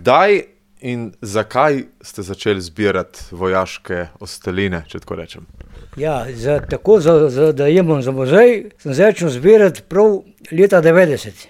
Kdaj in zakaj ste začeli zbirati vojaške ostaline, če tako rečem? Ja, da imam za muzej, sem začel zbirati prav leta 90.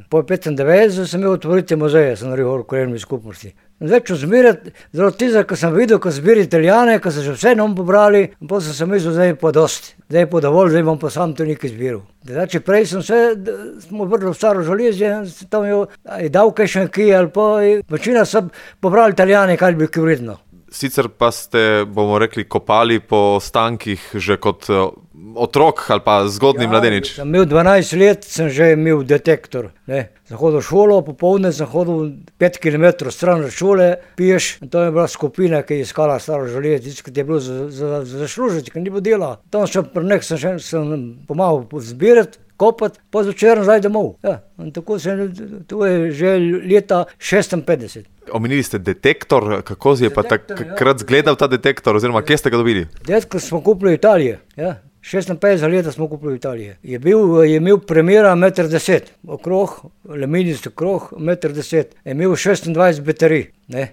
Po 95 sem imel otvoriti muzeje, sem naredil v krajevni skupnosti. Začel zbirati, zaradi tega, ko sem videl, ko zbiri Italijane, ko so že vse nam pobrali, in potem sem mislil, zdaj je pa dosti, zdaj je pa dovolj, zdaj bom pa sam to nekaj zbiral. Znači, prej smo vrli v staro železje, tam je dal kaj še nekaj, ali pa večina so pobrali Italijane, kaj bi kaj vredno. Sicer pa ste, bomo rekli, kopali po ostankih že kot otrok ali pa zgodnji mladenič. Sem imel 12 let, sem že imel detektor. Sem hodil v šolo, popoldne sem hodil 5 km stran od šole, piješ, in to je bila skupina, ki je iskala staro železje, ki je bilo zaslužiti, ki ni bilo dela. Tam sem pomagal zbirati, kopati, pa zvečer nazaj domov. Ja, in tako to je že leta 56. Omenili ste detektor, kako je pa takrat zgledal ta detektor, oziroma kje ste ga dobili? Detektor smo kupili v Italiji, ja. 56 leta smo kupili v Italiji. Je imel premjera 1,10 m, okrog, aluminijski krog, 1,10 m. Je imel 26 baterij,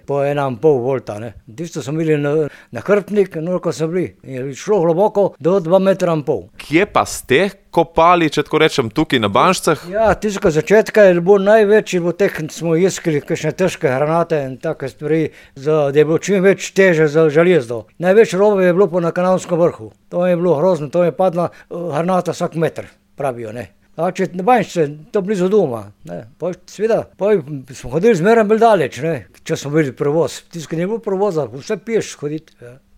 po 1,5 volta. Tisto smo imeli na hrbtnik, ko so bili. Je šlo globoko do 2,5 m. Kje pa ste kopali, če tako rečem, tukaj na Banšcah? Ja, tistega začetka je bilo največ, smo iskali kakšne težke granate in take stvari, da je bilo čim več teže za železdo. Največ robe je bilo pa na Kanalskem vrhu. To je bilo grozno, to je padla granata vsak meter, pravijo. Znači, na Banšce, to blizu doma. Seveda, smo hodili zmeraj bolj daleč, če smo bili prevoz. Tisto ni bilo prevoza, vse piješ hoditi.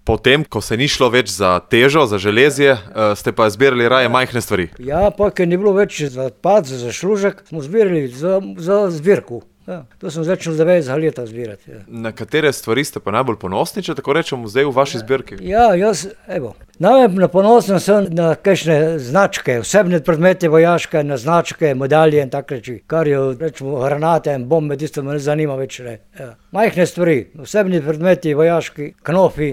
Potem, ko se ni šlo več za težo, za železje, ste pa zbirali raje majhne stvari. Ja, pa ker ni bilo več za pad, za zaslužek, smo zbirali za zbirku. Ja, to sem začel 90 leta zbirati. Ja. Na katere stvari ste pa najbolj ponosni, če tako rečemo, zdaj v vaši zbirki? Ja, najbolj ponosen sem na kakšne značke, osebne predmete vojaške, na značke, medalje in tak reči. Kar je, rečemo, granate in bombe, tisto me ne zanima več. Ja. Majhne stvari, osebni predmeti vojaški, knofi,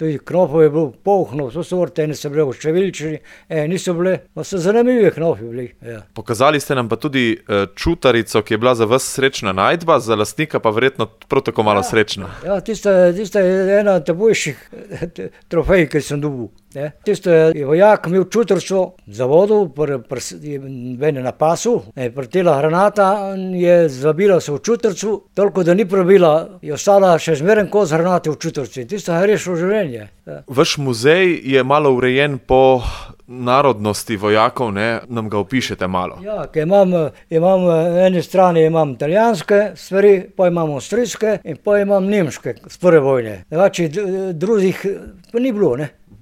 tudi knofov je bilo polhno, so sorte, ene so bile številčni, niso bile, pa so zanimivi knofi bili. Ja. Pokazali ste nam pa tudi čutarico, ki je bila za vas srečna najdba, za lastnika pa verjetno prav tako malo srečna. Ja, tista je ena boljših trofej, ki sem dobil. Tisto je vojak imel čutarico za vodo, na pasu, pretela granata, je zabila se v čutarico, toliko da ni probila, je ostala še zmeren kos granate v čutarici. Tisto je rešilo življenje. Ja. Vaš muzej je malo urejen po narodnosti vojakov, nam ga opišete malo. Ja, ker imam na eni strani imam italijanske stvari, pa imam avstrijske in pa imam nemške z prve vojne. Znači, drugih pa ni bilo,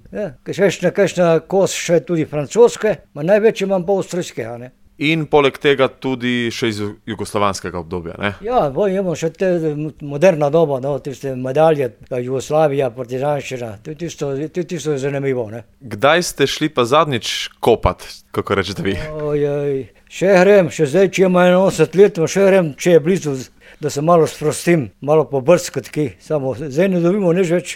Ja, še kakšna kos še tudi francoske, največ imam pa avstrijskega. In poleg tega tudi še iz jugoslovanskega obdobja, Ja, imamo še te moderna doba, tiste medalje, Jugoslavija, partizanščina, tudi tisto je zanimivo, Kdaj ste šli pa zadnjič kopat, kako rečete vi? Še grem, še zdaj, če imam 81 let, še grem, če je blizu, da se malo sprostim, malo pobrskati kaj, samo zdaj ne dobimo nič več.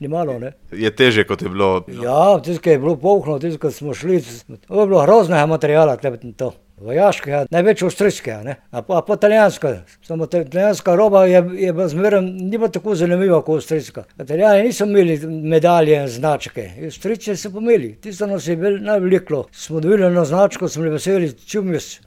Ni malo, Je težje, kot je bilo? Ja, tisto je bilo polhno, tisto, ko smo šli, to je bilo groznega materiala, to. Vojaškega, največ avstrijskega, pa italijanska. Samo italijanska roba je bila zmeraj, ni bila tako zanimiva kot avstrijska. Italijani niso imeli medalje in značke, Avstrijci so pomeli, tisto nas je najveliko. Smo dobili eno značko, smo bili veseli, čumis.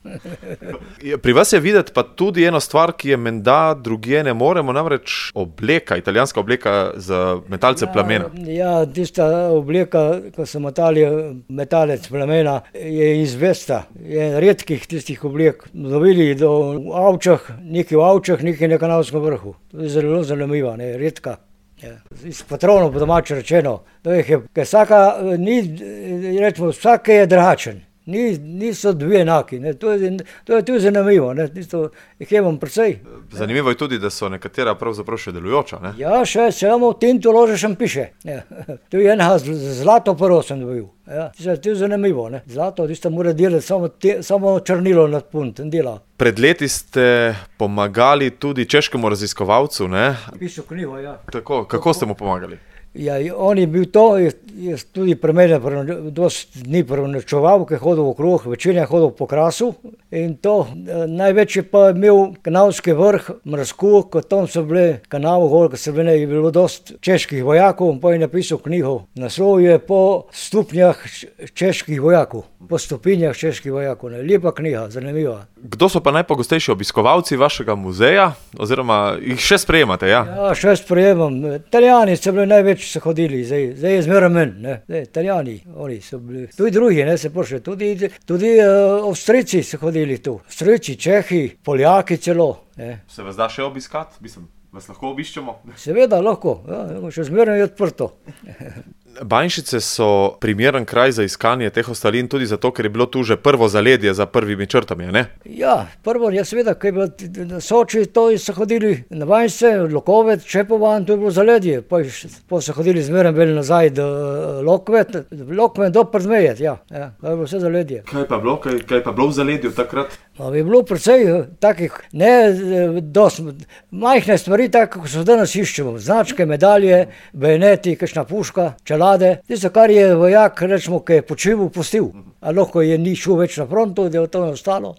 Pri vas je videti pa tudi eno stvar, ki je menda drugje ne moremo, namreč obleka, italijanska obleka za metalce plamena. Ja, tista obleka, ko so metalec plamena, je izvesta, je redkih tistih oblek. Dobili v Avčah, nekaj na Kanalskem vrhu. To je zelo zanimiva, redka. Iz patronov po domače rečeno. Vsak je drugačen. Niso dve enaki, to je tudi zanimivo, jih imam precej. Zanimivo je tudi, da so nekatera pravzaprav še delujoča, Ja, še samo tinto ložešem piše. To je enega zlato prvo sem dobil. To je zanimivo, Zlato, tisto mora delati samo črnilo nad punt in dela. Pred leti ste pomagali tudi češkemu raziskovalcu, Pisal knjigo, ja. Tako, kako ste mu pomagali? Ja, on je bil to, je tudi pri mene dosti dni prenočeval, ker je hodil okrog, večina je hodil po Krasu in to. Največ je pa imel Kanalski vrh, Mrsku, ko tam so bile kanal gor, ko je bilo dosti čeških vojakov, pa je napisal knjigo. Naslov je Po stopnjah čeških vojakov, po stopinjah čeških vojakov. Lepa knjiga, zanimiva. Kdo so pa najpogostejši obiskovalci vašega muzeja, oziroma jih še sprejemate, ja? Ja, še sprejemam. Italijani so bili največ so hodili, zdaj je zmeraj menj, ne. Italijani, oni so bili, tudi drugi, ne, se pošli, tudi Avstrijci so hodili tu. Avstrijci, Čehi, Poljaki celo, ne. Se vas da še obiskati? Mislim, vas lahko obiščemo? Seveda lahko, ja, še zmeraj je odprto. Banjšice so primeren kraj za iskanje teh ostalin, tudi zato, ker je bilo tu že prvo zaledje za prvimi črtami, ne? Ja, prvo je seveda, ker je bilo na Soči, to so hodili na Banjšice, Lokovec, Čepovan, to je bilo zaledje. Pa so hodili zmeraj vel nazaj do Lokvet do Przmejet, ja, to je bilo vse zaledje. Kaj pa bilo v zaledju takrat? Je bilo precej takih, ne dosti, majhne stvari, tako kot so danes iščemo. Značke, medalje, bajoneti, kakšna puška, čelade. Tisto, kar je vojak, rečemo, ki je počival, pustil. A lahko je ni šel več na frontu, da je to ostalo.